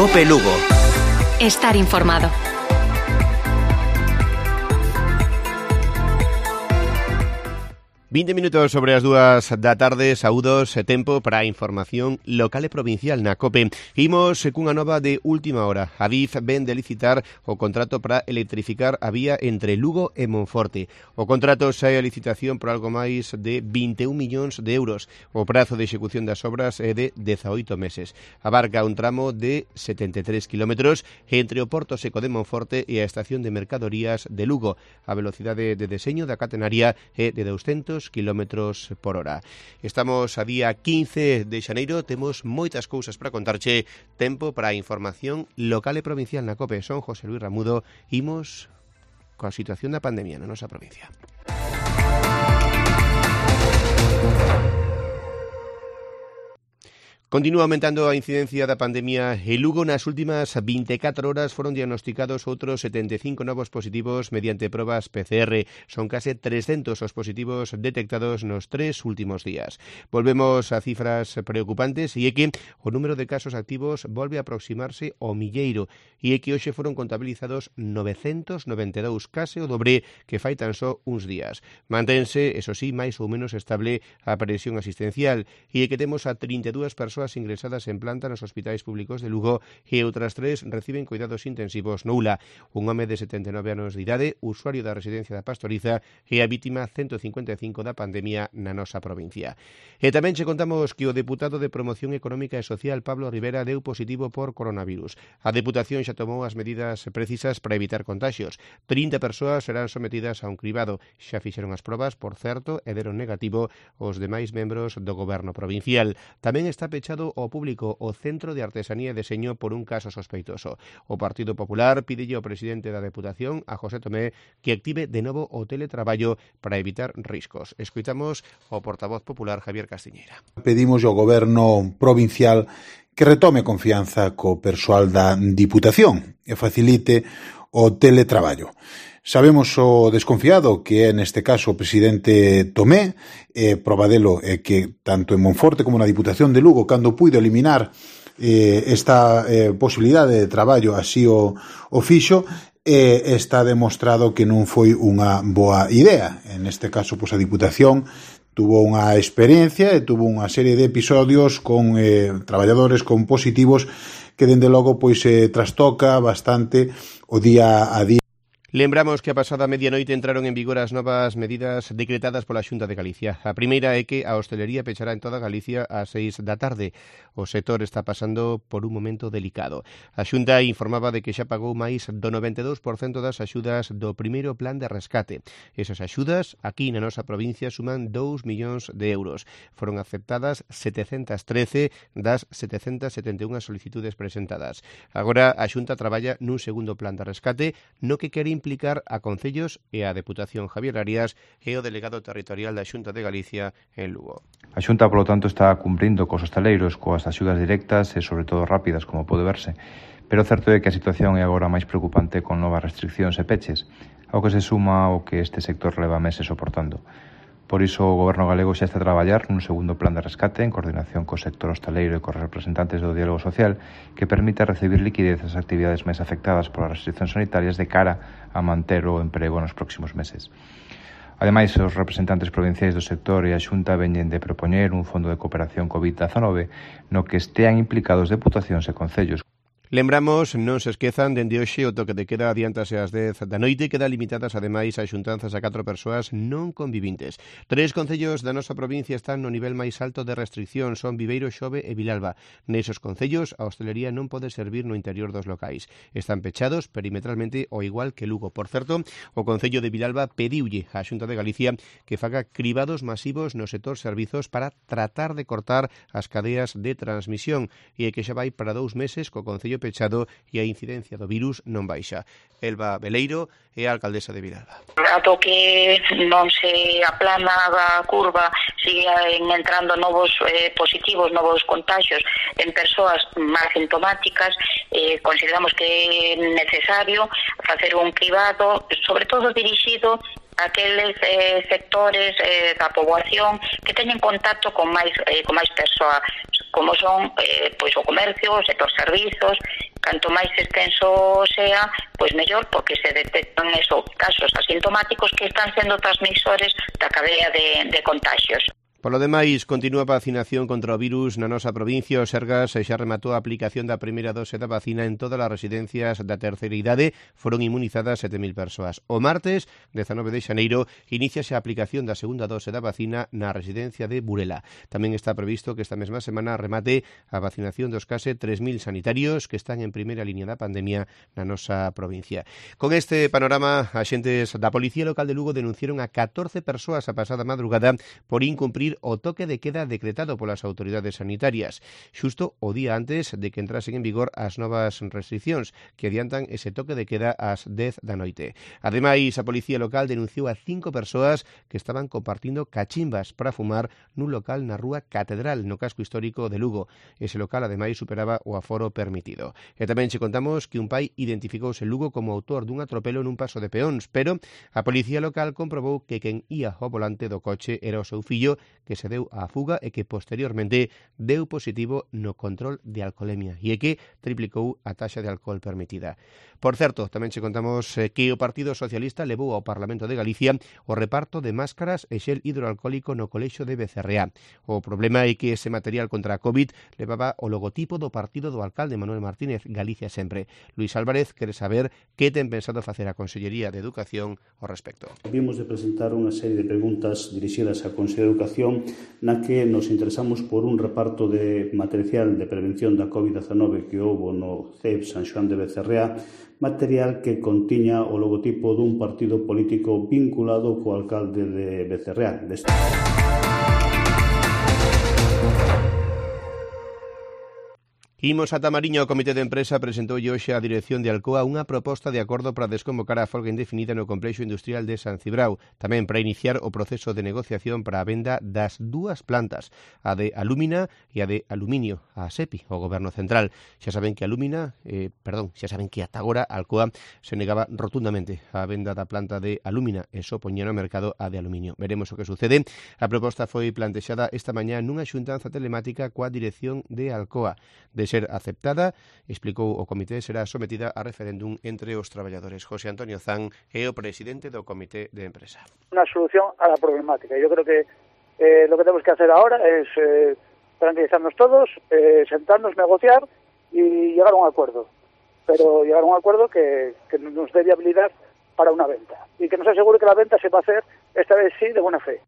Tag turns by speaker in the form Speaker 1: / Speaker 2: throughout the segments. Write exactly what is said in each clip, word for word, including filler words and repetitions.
Speaker 1: COPE Lugo.
Speaker 2: Estar informado.
Speaker 3: vinte minutos sobre as dúas da tarde, saúdos e tempo para a información local e provincial na COPE. Imos cunha nova de última hora. A D I F ven de licitar o contrato para electrificar a vía entre Lugo e Monforte. O contrato sae a licitación por algo máis de vinte e un millóns de euros. O prazo de execución das obras é de dezaoito meses. Abarca un tramo de setenta e tres kilómetros entre o Porto Seco de Monforte e a estación de mercadorías de Lugo. A velocidade de deseño da catenaria é de douscentos kilómetros por hora. Estamos a día quince de xaneiro, temos moitas cousas para contarche, tempo para a información local e provincial na COPE. Son José Luis Ramudo, imos coa situación da pandemia na nosa provincia. Continúa aumentando a incidencia da pandemia e Lugo. Nas últimas vinte e catro horas foron diagnosticados outros setenta e cinco novos positivos mediante probas P C R. Son case trescentos os positivos detectados nos tres últimos días. Volvemos a cifras preocupantes e é que o número de casos activos volve a aproximarse ao milleiro e é que hoxe foron contabilizados novecentos noventa e dous, case o dobre que fai tan só uns días. Mantense, eso sí, máis ou menos estable a presión asistencial e é que temos a trinta e dúas persoas ingresadas en planta nos hospitais públicos de Lugo e outras tres reciben cuidados intensivos no U L A. Un home de setenta e nove anos de idade, usuario da residencia da Pastoriza, e a vítima ciento cincuenta e cinco da pandemia na nosa provincia. E tamén che contamos que o deputado de Promoción Económica e Social, Pablo Rivera, deu positivo por coronavirus. A Deputación xa tomou as medidas precisas para evitar contagios. trinta persoas serán sometidas a un cribado. Xa fixeron as probas, por certo, e deron negativo os demais membros do Goberno provincial. Tamén está pechado ao público o Centro de Artesanía e Deseño por un caso sospeitoso. O Partido Popular pídelle ao presidente da Deputación, a José Tomé, que active de novo o teletraballo para evitar riscos. Escoitamos o portavoz popular Javier Castiñeira.
Speaker 4: Pedimos ao Goberno provincial que retome confianza co persoal da Diputación e facilite o teletraballo. Sabemos o desconfiado que é neste caso o presidente Tomé, e proba delo é que tanto en Monforte como na Diputación de Lugo, cando puido eliminar eh, esta eh, posibilidade de traballo así o, o fixo, e eh, está demostrado que non foi unha boa idea. En este caso, pois, a Diputación tuvo unha experiencia e tuvo unha serie de episodios con eh, traballadores con positivos que dende logo pois eh, trastoca bastante o día a día.
Speaker 3: Lembramos que a pasada medianoite entraron en vigor as novas medidas decretadas pola Xunta de Galicia. A primeira é que a hostelería pechará en toda Galicia ás seis da tarde. O sector está pasando por un momento delicado. A Xunta informaba de que xa pagou máis do noventa e dous por cento das axudas do primeiro plan de rescate. Esas axudas, aquí na nosa provincia, suman dous millóns de euros. Foron aceptadas setecentas trece das setecentas setenta e unha solicitudes presentadas. Agora a Xunta traballa nun segundo plan de rescate no que quere implicar a concellos e a Deputación. Javier Arias é o delegado territorial da Xunta de Galicia en Lugo.
Speaker 5: A Xunta, polo tanto, está cumprindo cos hostaleiros coas axudas directas e, sobre todo, rápidas, como pode verse. Pero o certo é que a situación é agora máis preocupante con novas restriccións e peches, ao que se suma o que este sector leva meses soportando. Por iso, o Goberno galego xa está a traballar nun segundo plan de rescate en coordinación co sector hostaleiro e cos representantes do diálogo social que permita recibir liquidez ás actividades máis afectadas polas restriccións sanitarias de cara a manter o emprego nos próximos meses. Ademais, os representantes provinciais do sector e a Xunta veñen de propoñer un fondo de cooperación covid diecinueve no que estean implicados deputacións e concellos.
Speaker 3: Lembramos, non se esquezan, dende hoxe o toque de queda adiántase ás dez da noite, queda limitadas ademais a xuntanzas a catro persoas non convivintes. Tres concellos da nosa provincia están no nivel máis alto de restricción, son Viveiro, Xove e Vilalba. Nesos concellos a hostelería non pode servir no interior dos locais. Están pechados perimetralmente ao igual que Lugo. Por certo, o Concello de Vilalba pediulle á Xunta de Galicia que faga cribados masivos no sector servizos para tratar de cortar as cadeas de transmisión e que xa vai para dous meses co Concello pechado e a incidencia do virus non baixa. Elba Beleiro é a alcaldesa de Vilalba.
Speaker 6: Ato que non se aplana a curva, sigue entrando novos eh, positivos, novos contagios en persoas máis sintomáticas, eh, consideramos que é necesario facer un cribado, sobre todo dirixido aqueles eh, sectores eh, da poboación que teñen contacto con máis eh, con máis persoas, como son eh, pois o comercio, o sector servizos. Canto máis extenso sea, pois mellor, porque se detectan esos casos asintomáticos que están sendo transmisores da cadea de, de contagios.
Speaker 3: Polo demais, continúa a vacinación contra o virus na nosa provincia. O Sergas xa rematou a aplicación da primeira dose da vacina en todas as residencias da terceira idade. Foron inmunizadas sete mil persoas. O martes, dezanove de xaneiro, iníciase a aplicación da segunda dose da vacina na residencia de Burela. Tamén está previsto que esta mesma semana remate a vacinación dos case tres mil sanitarios que están en primeira liña da pandemia na nosa provincia. Con este panorama, axentes da Policía Local de Lugo denunciaron a catorce persoas a pasada madrugada por incumprir o toque de queda decretado polas autoridades sanitarias, xusto o día antes de que entrasen en vigor as novas restriccións que adiantan ese toque de queda ás dez da noite. Ademais, a Policía Local denunciou a cinco persoas que estaban compartindo cachimbas para fumar nun local na rúa Catedral, no casco histórico de Lugo. Ese local, ademais, superaba o aforo permitido. E tamén che contamos que un pai identificouse en Lugo como autor dun atropelo nun paso de peóns, pero a Policía Local comprobou que quen ía ao volante do coche era o seu fillo, que se deu á fuga e que posteriormente deu positivo no control de alcolemia e que triplicou a taxa de alcohol permitida. Por certo, tamén che contamos que o Partido Socialista levou ao Parlamento de Galicia o reparto de máscaras e xel hidroalcohólico no colexio de Becerreá. O problema é que ese material contra a COVID levaba o logotipo do partido do alcalde Manuel Martínez, Galicia Sempre. Luis Álvarez quere saber que ten pensado facer a Consellería de Educación ao respecto.
Speaker 1: Vimos de presentar unha serie de preguntas dirixidas á Consellería de Educación na que nos interesamos por un reparto de material de prevención da COVID diecinueve que houbo no C E P San Xoán de Becerreá, material que contiña o logotipo dun partido político vinculado co alcalde de Becerreá. Deste...
Speaker 3: Imos a Tamariño. O Comité de Empresa presentou hoxe á dirección de Alcoa unha proposta de acordo para desconvocar a folga indefinida no complexo industrial de San Cibrao, tamén para iniciar o proceso de negociación para a venda das dúas plantas, a de Alúmina e a de Aluminio, a SEPI, o Goberno Central. Xa saben que Alúmina, eh, perdón, xa saben que ata agora Alcoa se negaba rotundamente a venda da planta de Alúmina e só poñía no mercado a de Aluminio. Veremos o que sucede. A proposta foi plantexada esta mañá nunha xuntanza telemática coa dirección de Alcoa. De ser aceptada, explicou o comité, será sometida a referéndum entre os traballadores. José Antonio Zan é o presidente do Comité de Empresa.
Speaker 7: Una solución a la problemática. Yo creo que eh, lo que tenemos que hacer ahora es eh, tranquilizarnos todos, eh, sentarnos, negociar y llegar a un acuerdo. Pero llegar a un acuerdo que, que nos dé viabilidad para una venta y que nos asegure que la venta se va a hacer, esta vez sí, de buena fe.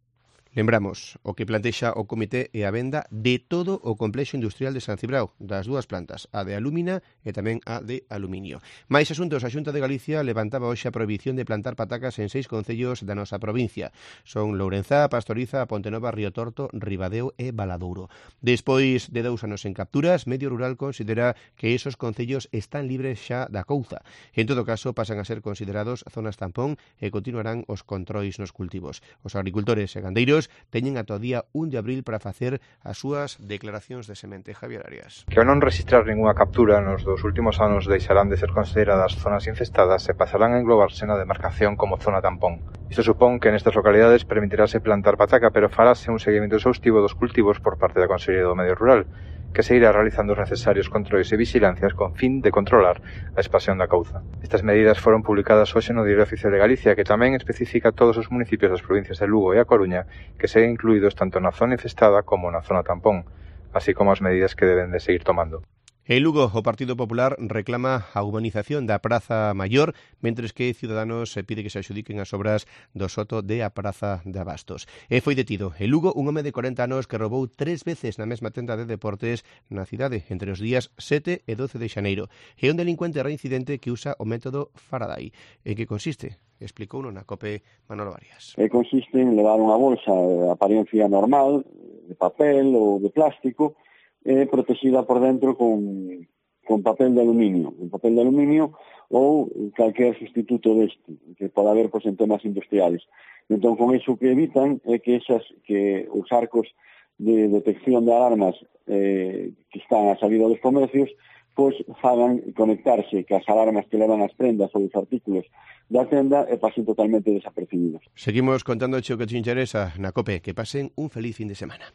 Speaker 3: Lembramos, o que plantexa o comité é a venda de todo o complexo industrial de San Cibrao, das dúas plantas, a de Alúmina e tamén a de Aluminio. Mais asuntos, a Xunta de Galicia levantaba hoxe a prohibición de plantar patacas en seis concellos da nosa provincia. Son Lourenzá, Pastoriza, Pontenova, Río Torto, Ribadeo e Valadouro. Despois de dous anos en capturas, Medio Rural considera que esos concellos están libres xa da couza. En todo caso, pasan a ser considerados zonas tampón e continuarán os controis nos cultivos. Os agricultores e gandeiros teñen ata o día un de abril para facer as súas declaracións de semente. Javier Arias.
Speaker 5: Que ao non registrar ninguna captura nos dos últimos anos deixarán de ser consideradas zonas infestadas e pasarán a englobarse na demarcación como zona tampón. Isto supón que nestas localidades permitirase plantar pataca, pero farase un seguimento exhaustivo dos cultivos por parte da Consellería do Medio Rural, que se irá realizando os necesarios controis e vigilancias con fin de controlar a expansión da couza. Estas medidas foron publicadas hoxe no Diario Oficial de Galicia, que tamén especifica todos os municipios das provincias de Lugo e A Coruña que seguen incluídos tanto na zona infestada como na zona tampón, así como as medidas que deben de seguir tomando.
Speaker 3: En Lugo, o Partido Popular reclama a urbanización da Praza Maior, mentres que Ciudadanos pide que se axudiquen as obras do soto de a Praza de Abastos. E foi detido en Lugo un home de corenta anos que roubou tres veces na mesma tenda de deportes na cidade entre os días sete e doce de xaneiro. É un delincuente reincidente que usa o método Faraday. En que consiste? Explicou na COPE Manolo Arias.
Speaker 8: E consiste en levar unha bolsa de apariencia normal, de papel ou de plástico, é protegida por dentro con, con papel de aluminio, un papel de aluminio ou calquer sustituto deste, que pode haber pois, en temas industriales. Entón, con iso que evitan é que, esas, que os arcos de detección de alarmas eh, que están a salida dos comercios pois fagan conectarse que as alarmas que levan as prendas ou os artículos da tenda e pasen totalmente desapercibidos.
Speaker 3: Seguimos contando o que te interesa na COPE. Que pasen un feliz fin de semana.